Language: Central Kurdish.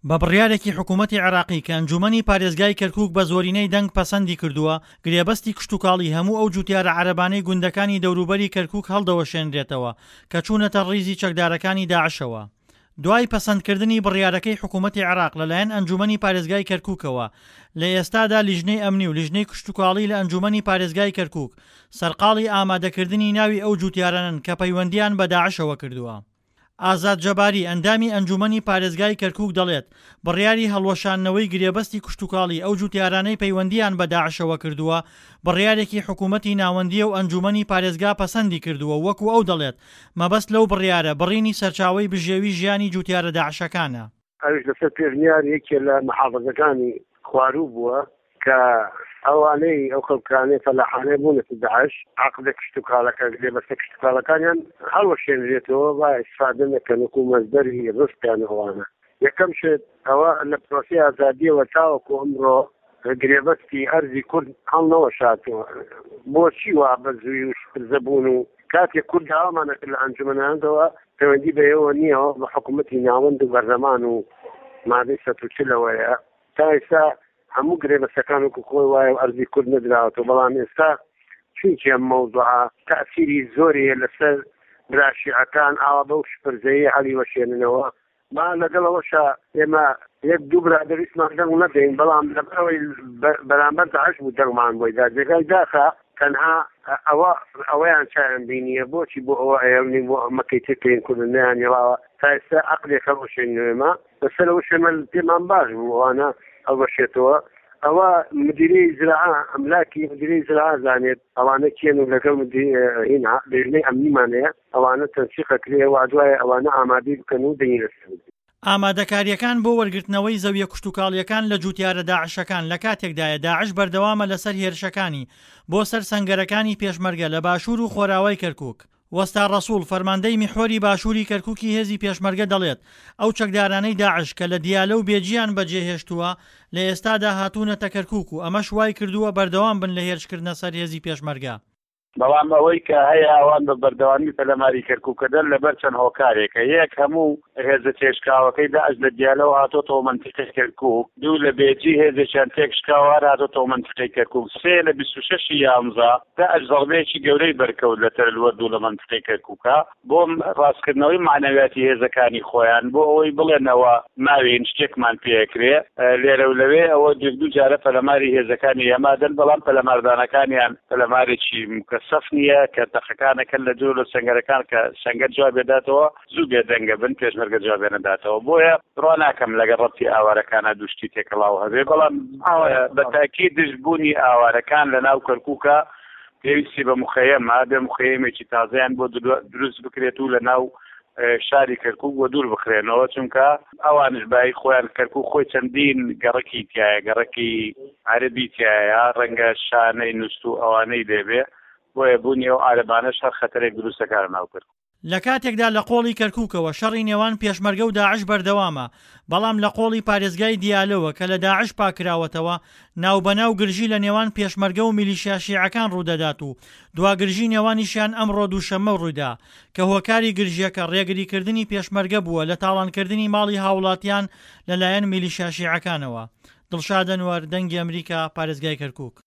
بە بڕیارێکی حکوومەتی عێراقی کە ئەنجوومەنی پارێزگای کەرکووک بە زۆرینەی دەنگ پەسەندی کردووە، گرێبەستی کشتوکاڵی هەموو ئەو جووتیارە عەرەبانەی گوندەکانی دەوروبەری کەرکووک هەڵدەوەشێنرێتەوە کە چوونەتە ڕیزی چەکدارەکانی داعشەوە. دوای پەسەندکردنی بڕیارەکەی حکوومەتی عێراق لەلایەن ئەنجوومەنی پارێزگای کەرکووکەوە، لە ئێستادا لیژنەی ئەمنی و لیژنەی کشتوکاڵی لە ئەنجوومەنی پارێزگای کەرکووک سەرقاڵی ئامادەکردنی ناوی ئەو جووتیارانەن کە پەیوەندییان بە داعشەوە کردووە. ئازاد جەباری، ئەندامی ئەنجوومەنی پارێزگای کەرکووک دەڵێت، بڕیاری هەڵوەشاندنەوەی گرێبەستی کشتوکاڵی ئەو جووتیارانەی پەیوەندییان بە داعشەوە کردووە، بڕیارێکی حکوومەتی ناوەندییە و ئەنجوومەنی پارێزگا پەسەندی کردووە و وەکو ئەو دەڵێت، مەبەست لەو بڕیارە بڕینی سەرچاوەی بژێوی ژیانی جووتیارە داعشەکانە. ئەویش لەسەر پێشنیاری یەکێ لە محافزەکانی خواروو بووە کە ئەوانەی ئەو خەڵکانەی فەلاحانەی بوونەتە داعش عەقدە کشتوکاڵەکە گرێبەستە کشتوکاڵەکانیان هەڵوەشێنرێتەوە با ئیسفادە نەکەن وەکو مەزدەری ڕزقیان ئەوانە یەکەم شت ئەوە لە پرۆسەی ئازادیەوە تاوەکو ئەمڕۆ گرێبەستی ئەرزی کورد هەڵنەوەشاتەوە بۆچی وا بە زووی و شپرزە بوون و کاتێک کورد داوامان ئەکرد لە ئەنجومەنانەوە پەیوەندی بە ئێوە نییە بە حکوومەتی ناوەند و بەرلەمان و مادەی 140ەوەیە تا ئێستا هەموو گرێبەستەکان وەکو خۆی وایە و ئەرزی کورد نەدراوەتەوە بەڵام ئێستا چونکە ئەم مەوزوعە تەئسیری زۆری هەیە لەسەر برا شیعەکان ئاوا بەو شپرزەیە هەڵیوەشێننەوە با لەگەڵ ئەوەشا ئێمە یەک دوو برادەر ویستمان دەنگ نەدەین بەڵام لەبەرئەوەی بەرامبەر داعش بوو دەنگمان بۆی دا جێگای داخە تەنها ئەوە ئەوەیان چایان بینیە بۆچی بۆ ئەوە ئەیەڵنین بۆ مەکەی تر کەین کوردن نەیان هێڵاوە تا ئێستا عەقلێک هەڵوەشێنین ئێمە لەسەر ئەوەش ئێمە پێمان باش بوو ئەوانە هەڵوەشێتەوە ئەوە مدیری زراعە ئەملاکی مدیری زراعە زانێت ئەوانە کێن و لەگەڵ هین لێژنەی ئەمنیمان هەیە ئەوانە تەنسیق ئەکرێ و دوایە ئەوانە ئامادەی بکەن و دەنگی لەسەر بدرێ. ئامادەکارییەکان بۆ وەرگرتنەوەی زەویە کشتوکاڵییەکان لە جوتیارە داعشەکان لە کاتێکدایە داعش بەردەوامە لەسەر هێرشەکانی بۆ سەر سەنگەرەکانی پێشمەرگە لە باشوور و خۆراوای کەرکوک. وەستا ڕەسوڵ، فەرماندەی میحوەری باشووری کەرکوکی هێزی پێشمەرگە دەڵێت، ئەو چەکدارانەی داعش کە لە دیالە و بێجیان بەجێهێشتووە لە ئێستادا هاتوونەتە کەرکوک و ئەمەش وایکردووە بەردەوام بن لە هێرشکردنە سەر هێزی پێشمەرگە. بەڵام ئەوەی کە هەیە ئەوان بە بەردەوامی پەلەماری کەرکوکەدەن لەبەر چەند هۆکارێکە، یەک هەموو هێزە تێکشکاوەکەی داعش لە دیالەوە هاتۆتەوە مەنتیقەی کەرکوک، دوو لە بێجی هێزێکیان تێکشکاوە هەر هاتۆتەوە مەنتیقەی کەرکوک، سێ لە 26 ی یانزە داعش زەڕبەیەکی گەورەی بەرکەوت لە تەلوەرد و لە مەنتیقەی کەرکوکا بۆ ڕاستکردنەوەی مەعنەویاتی هێزەکانی خۆیان بۆ ئەوەی بڵێنەوە ماوین شتێکمان پێکرێ لێرە و لەوێ ئەوە یەک دوو جارە پەلەماری هێزەکانی ئێمە دەن بەڵام پەلەماردانەکانیان پەلەمارێکی مکەسەف نییە کە تەقەکانەکەن لە دوور لە سەنگەرەکان کە سەنگەر جوابێ داتەوە زوو بێدەنگە بن پێشمەرگە جوابێ نەداتەوە بۆیە بڕوا ناکەم لەگەڵ ڕەبتی ئاوارەکانە دوو شتی تێکەڵاو هەبێ بەڵام بە تاکید دژ بوونی ئاوارەکان لە ناو کەرکووکە پێویستی بە مخەیەمە بێ مخەیەمێکی تازەیان بۆ دروست بکرێت و لە ناو شاری کەرکوک وە دوور بخرێنەوە چونکە ئەوانش بای خۆیان کەرکوک خۆی چەندین گەڕەکی تایە گەڕەکی عەربی تایە ڕەنگە شانەی نووست و ئەوانەی لێبێ بۆیە بوونی ئەو عەرەبانەش هەر خەتەرێک دروست دەکات لە ناو کەرکوک. لە کاتێکدا لە قۆڵی کەرکوکەوە شەڕی نێوان پێشمەرگە و داعش بەردەوامە، بەڵام لە قۆڵی پارێزگای دیالەوە کە لە داعش پاککراوەتەوە، ناوبەناو گرژی لە نێوان پێشمەرگە و میلیشیا شیعەکان ڕوودەدات و دوا گرژی نێوانیشیان ئەمڕۆ دووشەممە ڕوویدا کە هۆکاری گرژییەکە ڕێگریکردنی پێشمەرگە بووە لە تاڵانکردنی ماڵی هاوڵاتیان لەلایەن میلیشیا شیعەکانەوە. دڵشاد ئەنوەر، دەنگی ئەمریکا، پارێزگای کەرکوک.